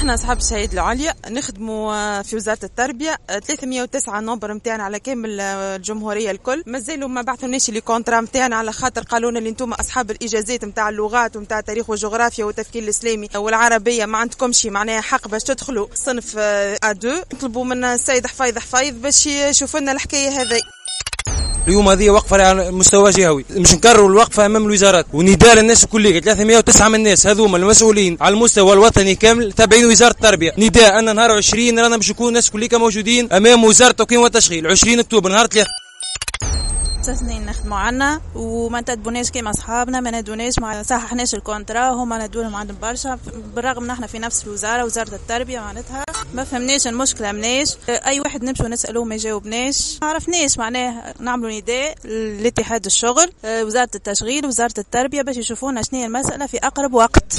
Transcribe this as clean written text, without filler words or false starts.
احنا اصحاب الشهادة العليا نخدموا في وزارة التربيه، 309 nombre نتاعنا على كامل الجمهورية الكل. مازالوا ما بعثوناش les contrats نتاعنا، على خاطر قالوا لنا اللي انتم اصحاب الاجازات نتاع اللغات ونتاع التاريخ والجغرافيا والتفكير الاسلامي والعربية ما عندكمش معناها حق باش تدخلوا صنف A2. نطلبوا من السيد حفيظ حفيظ باش يشوف لنا الحكاية هذه. اليوم هذه وقفه على مستوى جهوي، مش نكرروا الوقفة امام الوزارات، ونداء للناس الكل، 309 من الناس هذوما المسؤولين على المستوى الوطني كامل تابعين وزارة التربيه. نداء ان نهار 20 رانا باش نكون الناس كلها موجودين امام وزارة التوكيل والتشغيل، 20 اكتوبر نهار 3. 6 سنين نخدموا عنا وما انتدبوناش كيما اصحابنا، ما نادوناش، ما صححناش ال contrat، هما نادولهم عندهم برشا، بالرغم نحن في نفس الوزاره، وزارة التربيه. معناتها ما فهمناش المشكلة مناش. اي واحد نمشوا نسالوه ما يجاوبناش. ما عرفناش. معناه نعملوا نداء لاتحاد الشغل، وزارة التشغيل، وزارة التربيه، باش يشوفونا شنو هي المسالة في اقرب وقت.